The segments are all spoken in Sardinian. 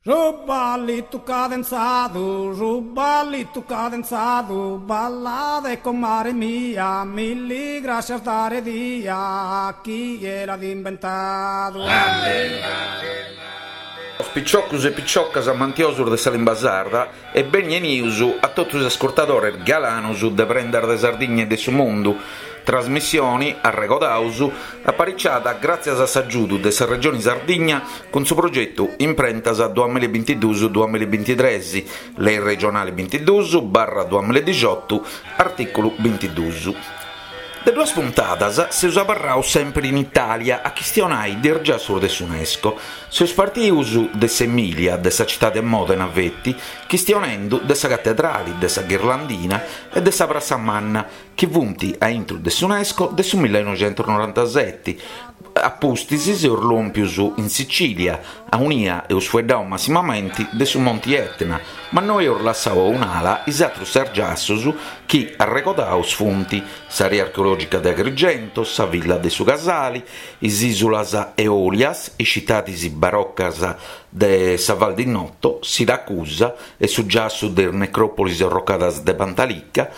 Su ballitu cadenzadu, su ballitu cadenzadu, ballade comare mia, milli grascias dare dia, chie l'at imbentadu. Piciocus e piciocas amantiosus de sa limba sarda e beni 'enius a totu is ascurtadores galanus de Prendas de Sardigna e de su Mundu, trasmissioni, arregodaus, apariciada gràtzias a s'agiudu de sa Regioni Sardigna cun su progetu Imprentas duamillabintiduus duamillabintitres, Lei regionali bintiduus barra duamilladixotu, artìculu bintiduus. De duas puntadas seus abarraus sèmpiri in Itàlia a chistionai de is giassus de s'Unesco. Seus partius de s'Emìlia, de sa citadi de Mòdena feti, chistionendu de sa catedrali, de sa Ghirlandina e de sa Prassa Manna, chi funt a intru de s'Unesco de su millinoixentusnorantaseti, a pustis seus lòmpius in Sicìlia, aunia eus fueddau massimamenti de su Monti Etna, ma no eus lassau a un'ala is atrus ses giassus chi, arregodaus, funt, s'area archeològica de Agrigento, sa Villa de su Casali, is ìsulas Eolias, is citadis barocas de sa Val di Noto, Siracusa e su giassu de is necròpolis orrocadas de Pantalica,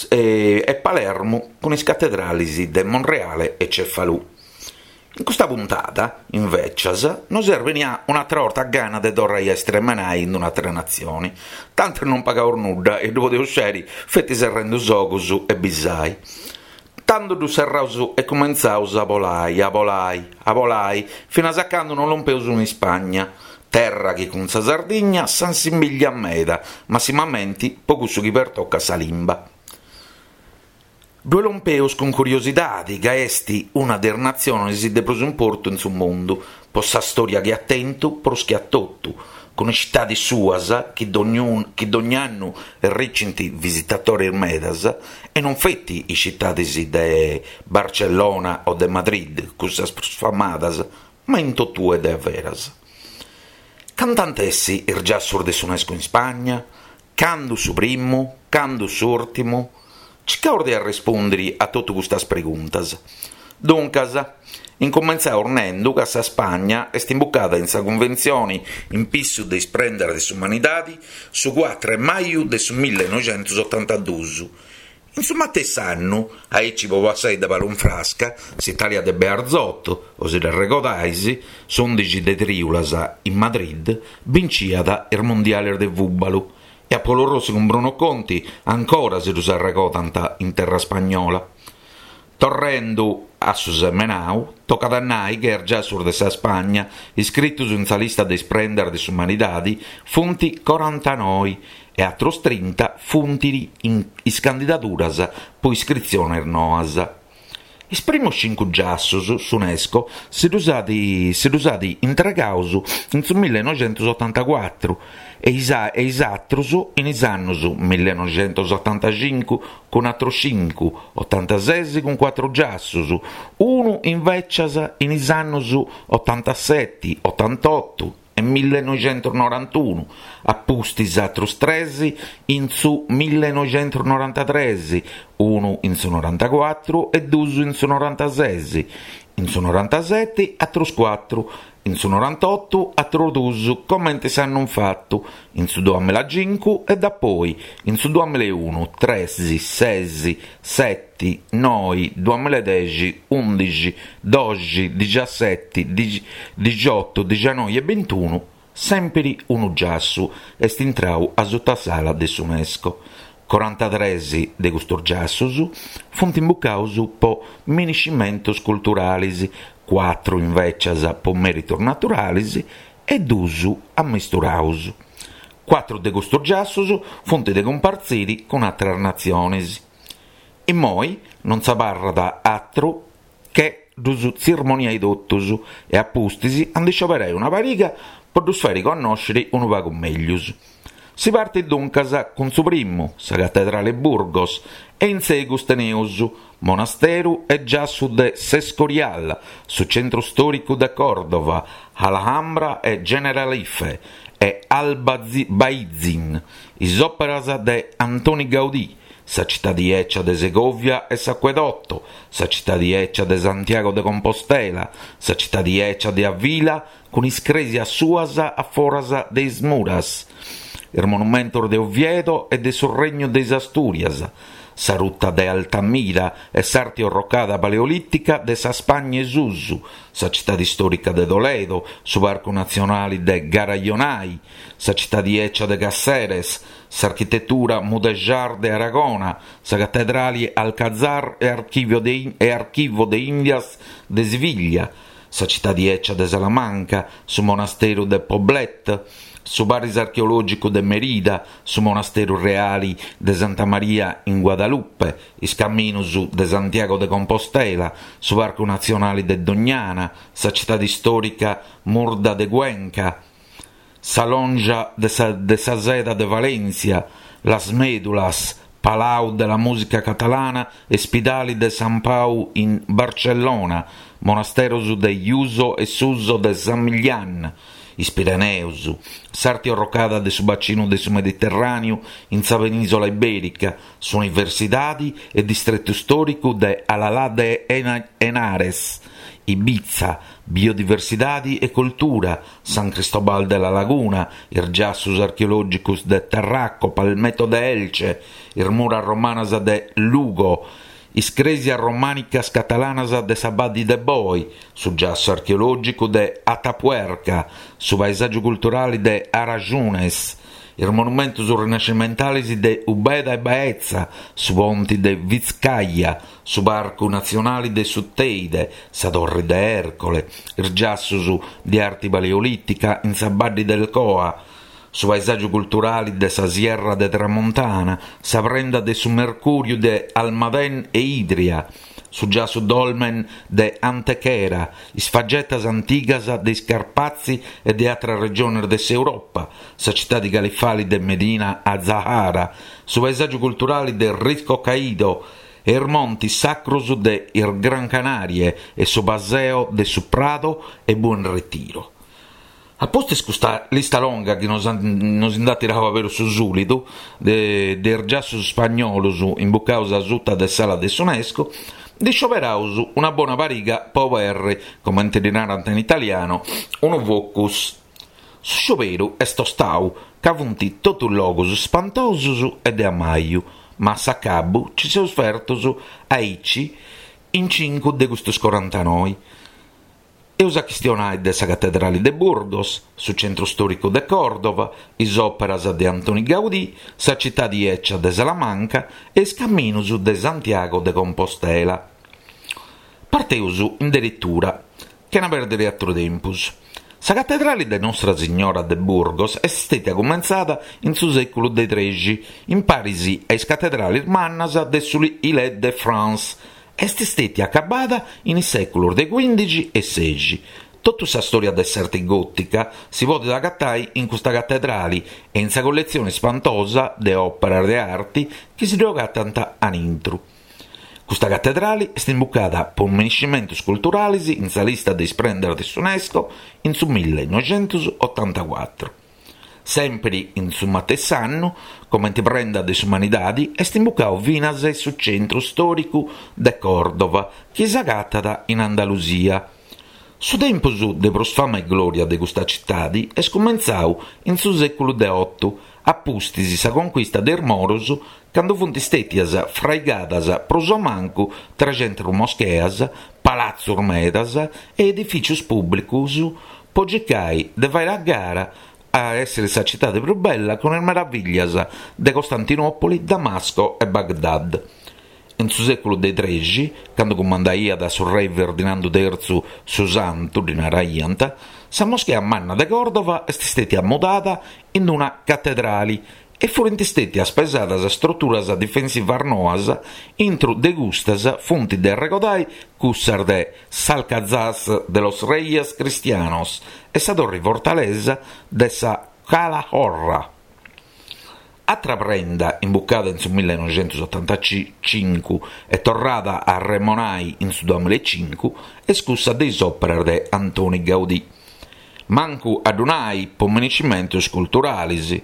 e Palermu cun is catedralis de Monreale e Cefalù. In custa puntada, invècias, nos est benia un'atra 'orta gana de torrai a istremenai in un'atra natzioni, tanti non pagaus nudda e ddu podeus sceri feti serrendu is ogus e bisai. Tandu ddus serraus e cumentzaus a bolai, a bolai, a bolai, finas a candu non lompeus in Ispagna, terra chi cun sa Sardigna s'assimbigliat meda, massimamenti po cussu chi pertocat sa limba. Ddue lompeus cun curiosidadi ca est una de is natzionis de prus importu in su mundu, po sa storia chi at tentu prus che a totu, cun is citadis suas chi chi dogna annu erricint visitatoris medas, e non feti is citadis de Barcellona o de Madrid, cussas prus famadas, ma in totue de averas. Cantu ant essi is giassus de s'Unesco in Spagna? Candu su primu? Candu s'ùrtimu? Circaus de arrespundiri a totu custas preguntas. Duncas, incumentzaus nendu ca sa Spagna est imbucada in sa Cunventzioni in pissu de is prendas de s'umanidadi su cuatru 'e maju de su millenoixentusotantaduus In su matessi annu, aici po passai de palu in frasca, s'Italia de Bearzot, o si dd'arregodais, s'undixi de triulas in Madrid, binciat is mundialis de fùbalu e a Paolo Rossi cun Bruno Conti ancora si ddus arregodant in terra spagnola. Torrendu a su semenau, tocat a nai ca is giassus de sa Spagna iscritus in sa lista de is prendas de s'umanidadi funt corantanoi e atrus trinta funt is candidaduras po iscritziones noas. Is primus cincu giassus s'Unesco si ddus at si ddus at intregaus in su millenoixentusotantacuatru e is e is atrus in is annus millenoixentusotantacincu cun atrus cincu, otantases cun cuatru giassus, unu invècias in is annus otantaseti, otantotu e millenoixentusnorantunu, a pustis atrus tres in su millenoixentusnorantatres, unu in su norantacuatru e dus in su norantases, in su norantaseti atrus cuatru, in su norantotu atrus dus comente s'annu infatu, in su duamilacincu e dapoi in su duamilaunu, tres, ses, seti, noi, duamiladexi, undixi, doxi, dixaseti, dixiotu, dixanoi e bintunu, sèmpiri unu giassu est intrau asuta s'ala de s'Unesco. Corantatres de custus giassus funt imbucaus po miniscimentus culturalis, cuatru invècias po mèritus naturalis e dus ammisturaus. Cuatru de custus giassus funt de cumpartziri cun atras natzionis. Immoi non s'abarrat atru che ddus tzirmoniai totus e a pustis a ndi scioberai una pariga po ddus fàiri connòsciri unu pagu meglius. Si partit duncas cun su primu, sa Catedrale 'e Burgos, e in segus teneus Monasteru e giassu de s'Escorial, su centru stòricu de Còrdova, Alhambra e Generalife e Albaicin, is òperas de Antoni Gaudí,. sa citadi 'ecia de Segovia e s'Acuedotto, sa citadi 'ecia de Santiago de Compostela, sa citadi 'ecia de Avila cun is crèsias suas a foras de is muras, is monumentos de Oviedo e de su Regnu de is Astùrias, sa ruta de Altamira e s'arti orrocada paleolìtica de sa Spagna 'e susu, sa citadi istòrica de Toledo, su parcu natzionali de Garajonay, sa citadi 'ecia de Caceres, s'architetura mudéjar de Aragona, sa catedrali Alcazar e Archivio de e Archivo de Indias de Siviglia, sa citadi 'ecia de Salamanca, su monasteru de Poblet, su paris archeològicu de Merida, su monasteru reali de Santa Maria in Guadalupe, is caminus de Santiago de Compostela, su parcu natzionali de Doñana, sa citadi istòrica murda de Cuenca, sa Lonja de sa de sa seda de València, Las Médulas, Palau de la Música Catalana e Spidali de San Pau in Barcellona, Monasteros de Yuso e Suso de San Millán, is Pireneus, s'arti orrocada de su bacinu de su Mediterràniu in sa Penìsola Ibèrica, s'Universidadi e distretu stòricu de Alalá de Henares, Ibiza, biodiversidadi e cultura, San Cristobal de La Laguna, is giassus archeològicus de Tarraco, Palmeto de Elche, is muras romanas de Lugo, is crèsias romànicas catalanas de sa Baddi de Boi, su giassu archeològicu de Atapuerca, su paesàgiu culturali de Arajunes, is monumentus rinascimentalis de Ubeda e Baeza, su ponti de Vizcaya, su Parcu Natzionali de su Teide, sa Torri de Ercole, is giassus de arti paleolìtica in sa Baddi del Coa, su paesàgiu culturali de sa Sierra de Tramontana, sa prenda de su Mercùriu de Almadén e Idria, su giassu dolmen de Antequera, is fagetas antigas de is Carpazi e de atras regionis de s'Europa, sa citadi califali de Medina Azahara, su paesàgiu culturali de Risco Caído e is montis sacrus de is Gran Canarie e su paseo de su Prado e Buen Retiro. A pustis custa lista longa chi nos nos nd'at tirau aberu su sulidu de de is giassus spagnolus imbucaus asuta de s'ala de s'UNESCO, ndi scioberaus una bona pariga po oberri, comenti ddi narant in italiano, unu focus. Su scioberu est tostau, ca funt totus logus spantosus e de ammaju, ma a s'acabu ci seus fertus aici in cincu de custus corantanoi. Eus a chistionai de sa Catedrali de Burgos, su centru stòricu de Còrdova, is òperas de Antoni Gaudí, sa citadi 'ecia de Salamanca e is caminus de Santiago de Compostela. Parteus in deretura, chena pèrdiri atru tempus. Sa Catedrali de Nostra Signora de Burgos est stètia cumentzada in su sèculu de trexi, in paris a is catedralis mannas de su Ile de France, Est stètia acabada in is sèculus de cuìndixi e sexi. Totu sa stòria de s'arti gòtica si podit agatai in custa catedrali e in sa colletzioni spantosa de òperas de arti chi si ddu agatant anintru. Custa catedrali est imbucada po miniscimentus culturalis in sa lista de is prendas de s'UNESCO in su millenoixentusotantacuatru. Sèmpiri in su matessi annu, comenti prenda de s'umanidadi, est imbucau finas su centru stòricu de Còrdova, chi s'agatat in Andalusia. Su tempus de prus fama e glòria de custa citadi est cumentzau in su sèculu de otu, a pustis sa conquista de is Moros, candu funt stètias fraigadas prus o mancu trexentus moscheas, palatzus medas e edifìcius pùblicus po circai de fai a gara a èssiri sa citadi prus bella cun is meraviglias de Costantinòpoli, Damasco e Baghdad. In su sèculu de trexi, candu cumandaiat su rei Ferdinandu tertzu su Santu, ddi naraiant, sa moschea manna de Còrdova est stètia mudada in una catedrali e furint stètias pesadas struturas difensivas noas, intru de custas funt de arregodai cussas de s'Alcazar de los Reyes Cristianos e sa torri fortalesa de sa Calahorra. Atra prenda imbucada in su millenoixentusotantacincu e torrada a arremonai in su duamillaecincu est cussa de is òperas de Antoni Gaudí. Mancu a ddu nai po miniscimentus culturalis.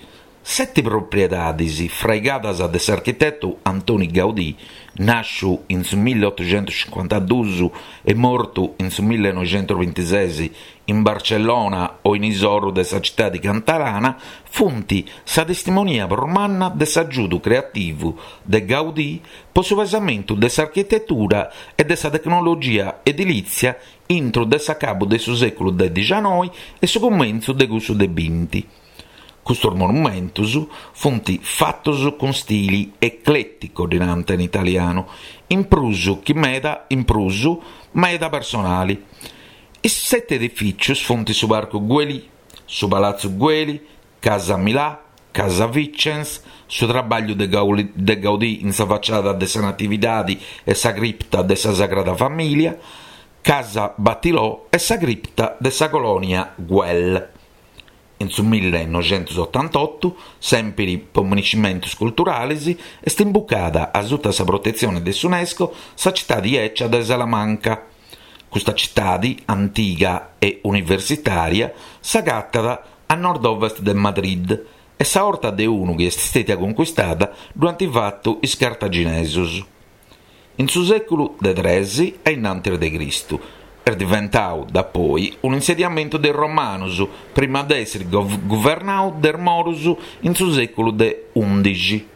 Seti propriedadis fraigadas de s'architetu Antoni Gaudí, nàsciu in su milliotuxentuscincuantaduus e mortu in su millinoixentusbintises in Barcellona o in is orus de sa citadi catalana, funt sa testimonia prus manna de s'agiudu creativu de Gaudí po su pesamentu de s'architetura e de sa tecnologia edilìtzia intru de s'acabu de su sèculu de dixanoi e su cumentzu de cussu de binti. Custos monumentus funt fatos cun stili eclètico, ddi nant in italianu, in prus chi meda in prus meda personali. Is seti edifìcius funt su Parcu Güell, su Palatzu Güell, Casa Milà, Casa Vicens, su trabagliu de Gaudí in sa faciada de sa Natividadi e sa cripta de sa Sagrada Famìlia, Casa Batlló e sa cripta de sa Colònia Güell. In su millenoixentusotantotu, sèmpiri po miniscimentus culturalis, est imbucada a suta sa protetzioni de s'Unesco sa citadi 'ecia de Salamanca. Custa citadi antiga e universitària s'agatat a nord-ovest de Madrid e sa 'orta de unu chi est stètia concuistada ddu ant fatu is cartaginesus. In su sèculu de tres a innantis de Cristu est diventau dapoi unu insediamentu de is romanus prima de èssiri guvernau de is morus in su sèculu de undixi.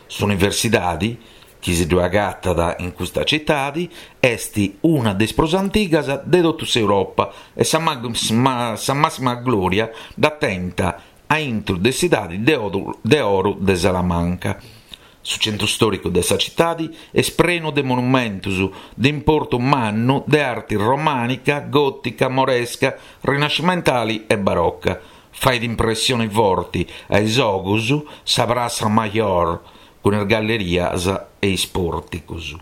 S'universidadi chi si ddoi agatat in custa citadi est una de is prus antigas de totu s'Europa e sa màssima glòria dd'at tenta a intru de s'idadi de oru de Salamanca. Su centru stòricu de sa citadi est prenu de monumentus de importu mannu de arti romànica, gòtica, moresca, rinascimentali e baroca. Fait impressioni forti a is ogus sa Praça Mayor cun is gallerias e is pòrticus.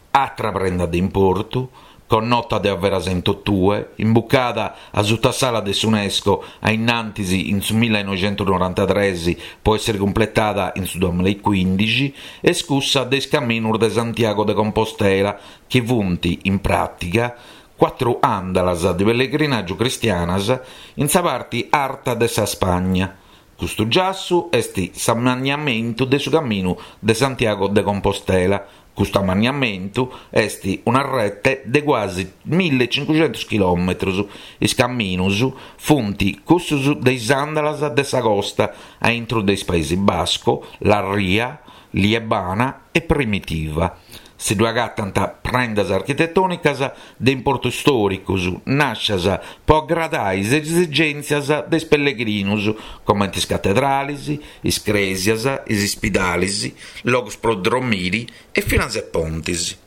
Atra prenda de importu, connota de averas in totue, imbucada a suta s'ala de s'Unesco a innantis in su millenoixentusnorantatres po èssere cumpletada in su duamillaecuindixi, est cussa de is Caminus de Santiago de Compostela chi funt, in pràtiga, cuatru àndalas de pellegrinàgiu cristianas in sa parti arta de sa Spagna. Custu giassu est s'ammanniamentu de su Caminu de Santiago de Compostela. Custu ammanniamentu est una rete de cuasi millecincuxentus chilòmetrus. Is caminus funt cussus de is àndalas de sa costa a intru de is Paesi Basco, La Ria, Liebana e Primitiva. Si ddu agatant prendas architetònicas de importu stòricus, nàscias po agradai is esigèntzias de is pellegrinus, comenti is catedralis, is crèsias, is ispidalis, logus pro dromiri e finas e pontis.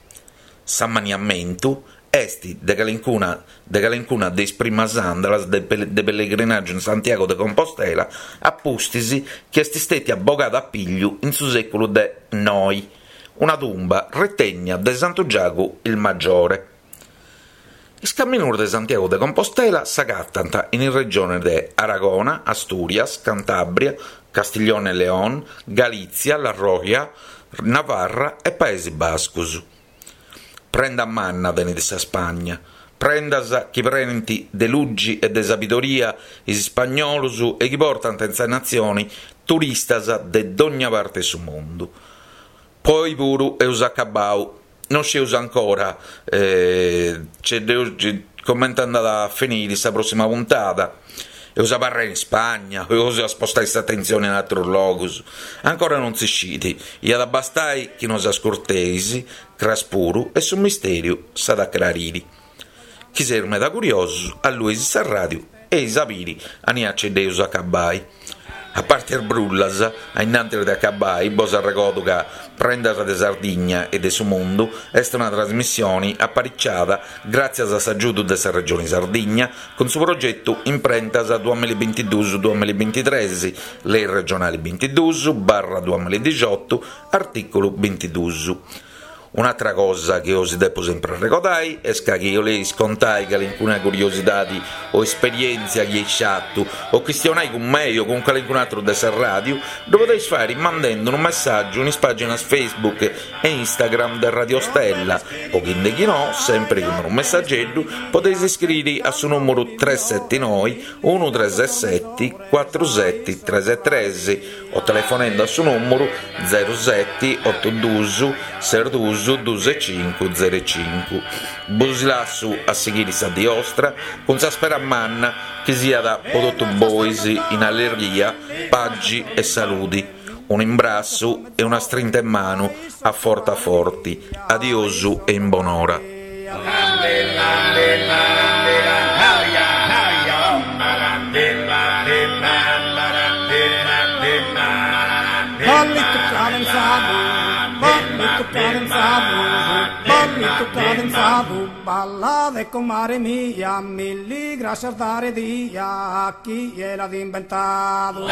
S'ammaniamentu est de calincuna de calincuna de is primas àndalas de pellegrinàgiu in Santiago de Compostela a pustis chi est stètia bogada a pigliu in su sèculu de noi. Una tumba retènnia de Santu Giagu il Maggiore. Is caminus de Santiago de Compostela s'agatant in is regiones de Aragona, Asturias, Cantàbria, Castiglione e León, Galìtzia, La Rioja, Navarra e Paesi Bascus. Prenda manna tenit sa Spagna, prendas chi prenint de lugi e de sabidoria is ispagnolus e chi portant in sa natzioni turistas de dogna parte 'e su mundu. Po oi puru eus acabau, non scieus ancora comenti andat a finiri sa prossima puntada, eus a abarrai in Spagna o eus a spostai s'atentzioni in atrus logus, ancora non si scit, iat a bastai chi nos ascurteis cras puru e su misteriu s'at a crariri. Chi seis meda curiosus, allueis sa radiu e eis a biri ania ce dd'eus a acabai. A parti is brullas, a innantis de acabai, bos arregodu ca Prendas de Sardigna e de su Mundu est una trasmissioni apariciada gràtzias a s'agiudu de sa Regioni Sardigna cun su progetu Imprentas duamillabintiduus duamillabintitres, Lei regionali bintiduus barra duamilladixotu, artìculu bintiduus. Un'atra cosa chi osi depu sempri arregodai est ca chi 'oleis contai calincuna curiosidadi o esperièntzia chi eis fatu o chistionai cun mei o cun calincun'atru de sa ràdiu, ddu podeis fàiri mandendi unu messàgiu in is pàginas Facebook e Instagram de Radio Stella o chi nde chi no, sempri cun unu messageddu, podeis scriri a su nùmuru tres seti noi unu tres seti cuatru seti tres tres o telefonendu a su nùmuru zeru seti otu dus ses dus dus e cincu zeru e cincu. Bos lassu a sighiri sa dì 'ostra cun sa spera manna chi siat po totu bois in allegria, pagi e saludi. Un'imbrassu e una strinta 'e manu a forti a forti. Adiosu e in bonora. Ballitu cadenzadu, ballitu cadenzadu, ballitu cadenzadu, ballade comare mia, milli grascias dare dia, chie l'at inventadu.